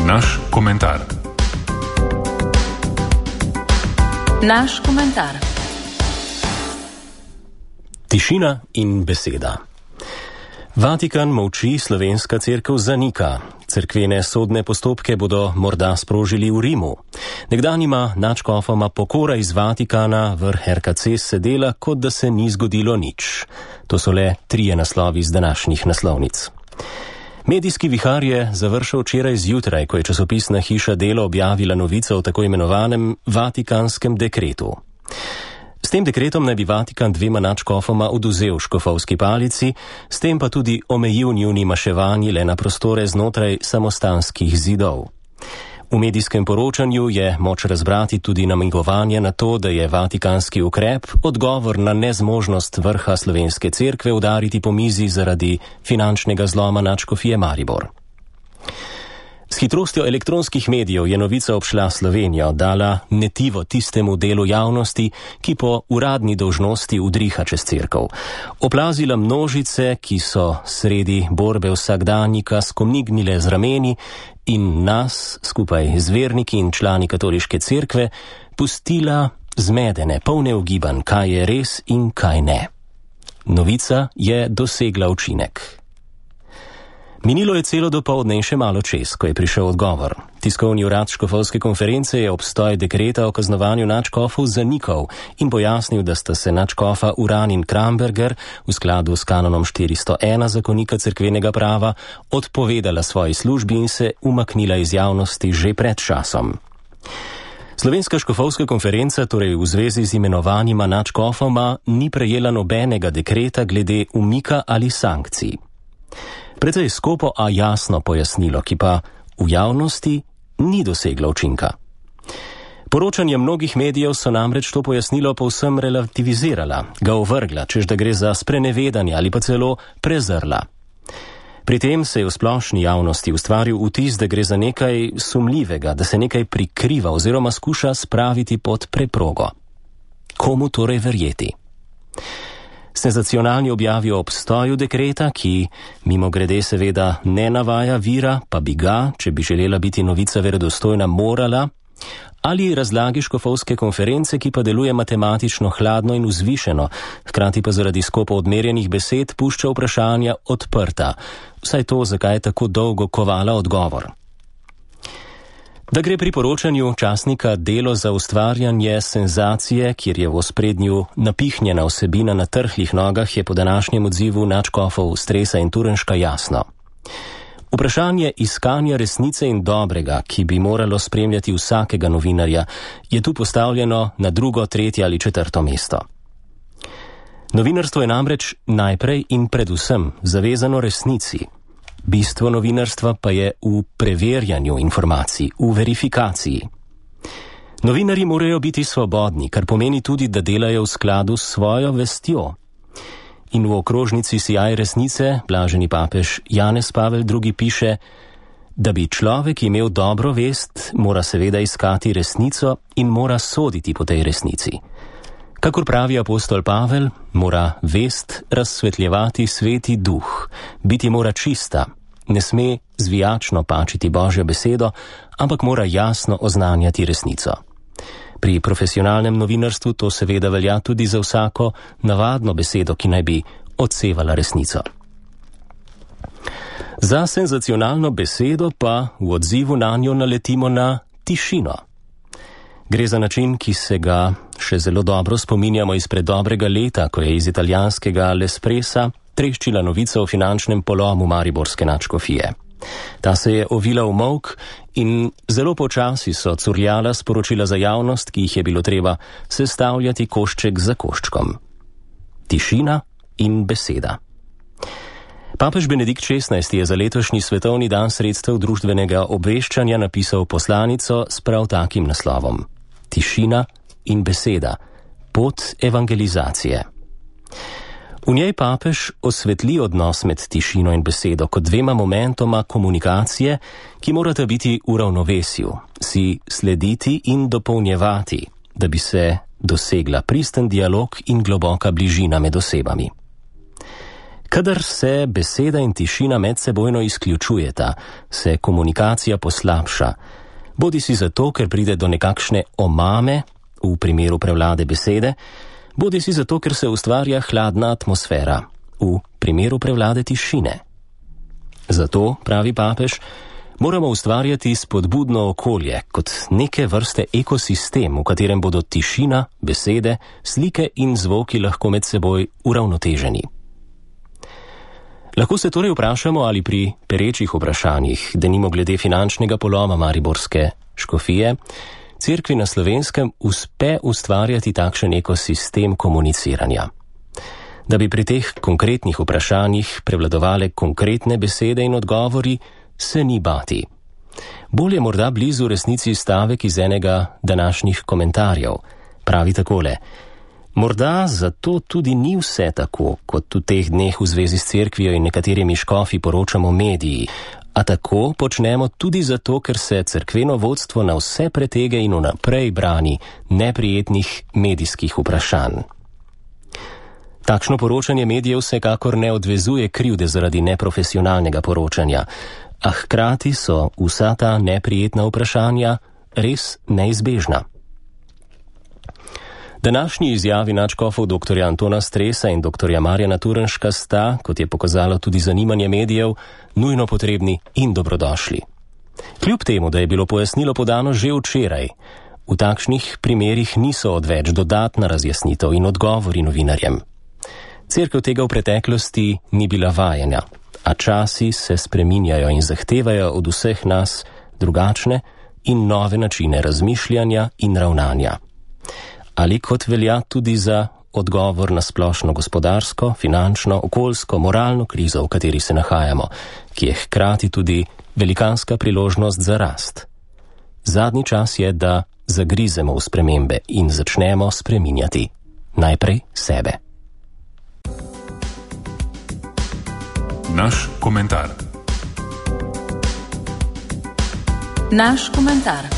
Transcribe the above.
Naš komentar. Naš komentar. Tišina in beseda. Vatikan molči, slovenska cerkev zanika. Cerkvene sodne postopke bodo morda sprožili v Rimu. Nekdanjima nadškofoma pokora iz Vatikana vrh RKC sedela, kot da se ni zgodilo nič. To so le 3 naslovi z današnjih naslovnic. Medijski vihar je završil včeraj zjutraj, ko je časopisna hiša Delo objavila novico o tako imenovanem Vatikanskem dekretu. S tem dekretom naj bi Vatikan 2 nadškofoma odvzel škofovski palici, s tem pa tudi omejil njuni maševanji le na prostore znotraj samostanskih zidov. V medijskem poročanju je moč razbrati tudi namigovanje na to, da je vatikanski ukrep odgovor na nezmožnost vrha slovenske cerkve udariti po mizi zaradi finančnega zloma nadškofije Maribor. S hitrostjo elektronskih medijev je novica obšla Slovenijo, dala netivo tistemu delu javnosti, ki po uradni dolžnosti udriha čez cerkev. Oplazila množice, ki so sredi borbe vsakdanjika skomnignile z rameni in nas, skupaj z verniki in člani katoliške cerkve, pustila zmedene, polne ugibanj, kaj je res in kaj ne. Novica je dosegla učinek. Minilo je celo dopoldne in še malo čez, ko je prišel odgovor. Tiskovni urad škofovske konference je obstoj dekreta o kaznovanju nadškofov zanikal in pojasnil, da sta se nadškofa Uran in Kramberger v skladu s kanonom 401 zakonika cerkvenega prava odpovedala svoji službi in se umaknila iz javnosti že pred časom. Slovenska škofovska konferenca torej v zvezi z imenovanjima nadškofoma ni prejela nobenega dekreta glede umika ali sankcij. Precej skopo, a jasno pojasnilo, ki pa v javnosti ni doseglo učinka. Poročanje mnogih medijev so namreč to pojasnilo povsem relativizirala, ga ovrgla, čež da gre za sprenevedanje ali pa celo prezrla. Pri tem se je v splošni javnosti ustvaril vtis, da gre za nekaj sumljivega, da se nekaj prikriva oziroma skuša spraviti pod preprogo. Komu torej verjeti? Senzacionalni objavi o obstoju dekreta, ki mimogrede seveda ne navaja vira, pa bi ga, če bi želela biti novica verodostojna, morala, ali razlagi škofovske konference, ki pa deluje matematično hladno in vzvišeno, hkrati pa zaradi skopo odmerjenih besed pušča vprašanja odprta, vsaj to, zakaj je tako dolgo kovala odgovor. Da gre pri poročanju časnika Delo za ustvarjanje senzacije, kjer je v ospredju napihnjena vsebina na trhlih nogah, je po današnjem odzivu nadškofov Stresa in Turnška jasno. Vprašanje iskanja resnice in dobrega, ki bi moralo spremljati vsakega novinarja, je tu postavljeno na 2., 3. ali 4. mesto. Novinarstvo je namreč najprej in predvsem zavezano resnici. Bistvo novinarstva pa je v preverjanju informacij, v verifikaciji. Novinarji morajo biti svobodni, kar pomeni tudi, da delajo v skladu s svojo vestjo. In v okrožnici Sijaj resnice blaženi papež Janez Pavel II. Piše, da bi človek imel dobro vest, mora seveda iskati resnico in mora soditi po tej resnici. Kakor pravi apostol Pavel, mora vest razsvetljevati Sveti Duh, biti mora čista, ne sme zvijačno pačiti Božjo besedo, ampak mora jasno oznanjati resnico. Pri profesionalnem novinarstvu to seveda velja tudi za vsako navadno besedo, ki naj bi odsevala resnico. Za senzacionalno besedo pa v odzivu nanjo naletimo na tišino. Gre za način, ki se ga še zelo dobro spominjamo izpred dobrega leta, ko je iz italijanskega L'Espressa treščila novica o finančnem polomu mariborske nadškofije. Ta se je ovila v molk in zelo počasi so curljala sporočila za javnost, ki jih je bilo treba sestavljati košček za koščkom. Tišina in beseda. Papež Benedikt XVI je za letošnji svetovni dan sredstev družbenega obveščanja napisal poslanico s prav takim naslovom. Tišina in beseda. Pot evangelizacije. V njej papež osvetli odnos med tišino in besedo kot 2 momentoma komunikacije, ki morata biti v ravnovesju, si slediti in dopolnjevati, da bi se dosegla pristen dialog in globoka bližina med osebami. Kadar se beseda in tišina medsebojno izključujeta, se komunikacija poslabša. Bodi si zato, ker pride do nekakšne omame, v primeru prevlade besede, bodi si zato, ker se ustvarja hladna atmosfera, v primeru prevlade tišine. Zato, pravi papež, moramo ustvarjati spodbudno okolje kot neke vrste ekosistem, v katerem bodo tišina, besede, slike in zvoki lahko med seboj uravnoteženi. Lahko se torej vprašamo, ali pri perečih vprašanjih, denimo glede finančnega poloma mariborske škofije, Cerkvi na Slovenskem uspe ustvarjati takšen ekosistem komuniciranja. Da bi pri teh konkretnih vprašanjih prevladovale konkretne besede in odgovori, se ni bati. Bolje morda blizu resnici stavek iz enega današnjih komentarjev. Pravi takole: morda zato tudi ni vse tako, kot v teh dneh v zvezi s cerkvijo in nekaterimi škofi poročamo mediji, a tako počnemo tudi zato, ker se cerkveno vodstvo na vse pretege in vnaprej brani neprijetnih medijskih vprašanj. Takšno poročanje medijev vsekakor ne odvezuje krivde zaradi neprofesionalnega poročanja, a hkrati so vsa ta neprijetna vprašanja res neizbežna. Današnji izjavi nadškofov dr. Antona Stresa in dr. Marjana Turnška sta, kot je pokazalo tudi zanimanje medijev, nujno potrebni in dobrodošli. Kljub temu, da je bilo pojasnilo podano že včeraj, v takšnih primerih niso odveč dodatna razjasnitev in odgovori novinarjem. Cerkev tega v preteklosti ni bila vajena, a časi se spreminjajo in zahtevajo od vseh nas drugačne in nove načine razmišljanja in ravnanja. Ali kot velja tudi za odgovor na splošno gospodarsko, finančno, okoljsko, moralno krizo, v kateri se nahajamo, ki je hkrati tudi velikanska priložnost za rast. Zadnji čas je, da zagrizemo v spremembe in začnemo spreminjati najprej sebe. Naš komentar. Naš komentar.